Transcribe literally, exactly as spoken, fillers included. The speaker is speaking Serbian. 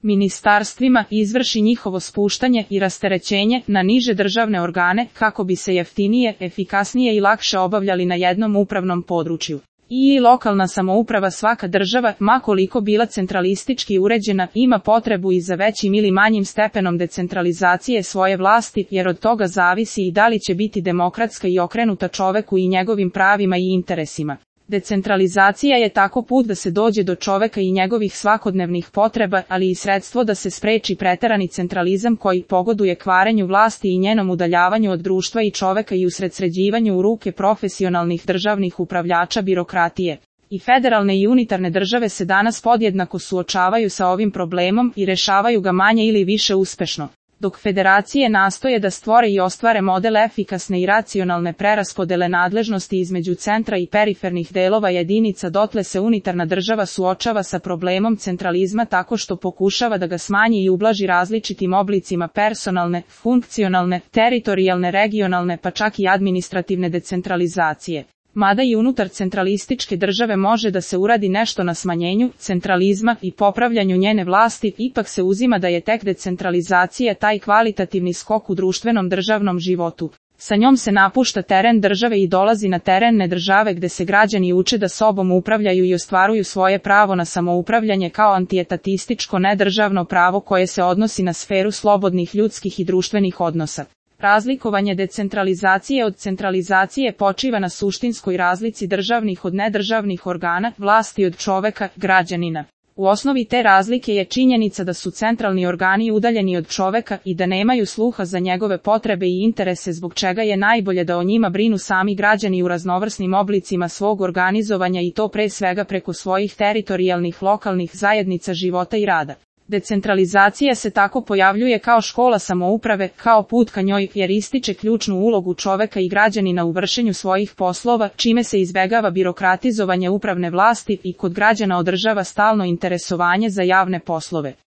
ministarstvima izvrši njihovo spuštanje i rasterećenje na niže državne organe kako bi se jeftinije, efikasnije i lakše obavljali na jednom upravnom području. I lokalna samouprava svaka država, ma koliko bila centralistički uređena, ima potrebu i za većim ili manjim stepenom decentralizacije svoje vlasti, jer od toga zavisi i da li će biti demokratska i okrenuta čoveku i njegovim pravima i interesima. Decentralizacija je tako put da se dođe do čoveka i njegovih svakodnevnih potreba, ali i sredstvo da se spreči preterani centralizam koji pogoduje kvarenju vlasti i njenom udaljavanju od društva i čoveka i usredsređivanju u ruke profesionalnih državnih upravljača birokratije. I federalne i unitarne države se danas podjednako suočavaju sa ovim problemom i rešavaju ga manje ili više uspešno. Dok federacije nastoje da stvore i ostvare model efikasne i racionalne preraspodele nadležnosti između centra i perifernih delova jedinica, dotle se unitarna država suočava sa problemom centralizma tako što pokušava da ga smanji i ublaži različitim oblicima personalne, funkcionalne, teritorijalne, regionalne pa čak i administrativne decentralizacije. Mada i unutar centralističke države može da se uradi nešto na smanjenju centralizma i popravljanju njene vlasti, ipak se uzima da je tek decentralizacija taj kvalitativni skok u društvenom državnom životu. Sa njom se napušta teren države i dolazi na teren nedržave gde se građani uče da sobom upravljaju i ostvaruju svoje pravo na samoupravljanje kao antietatističko nedržavno pravo koje se odnosi na sferu slobodnih ljudskih i društvenih odnosa. Razlikovanje decentralizacije od centralizacije počiva na suštinskoj razlici državnih od nedržavnih organa, vlasti od čoveka, građanina. U osnovi te razlike je činjenica da su centralni organi udaljeni od čoveka i da nemaju sluha za njegove potrebe i interese, zbog čega je najbolje da o njima brinu sami građani u raznovrsnim oblicima svog organizovanja i to pre svega preko svojih teritorijalnih lokalnih zajednica života i rada. Decentralizacija se tako pojavljuje kao škola samouprave, kao put ka njoj, jer ističe ključnu ulogu čoveka i građanina u vršenju svojih poslova, čime se izbegava birokratizovanje upravne vlasti i kod građana održava stalno interesovanje za javne poslove.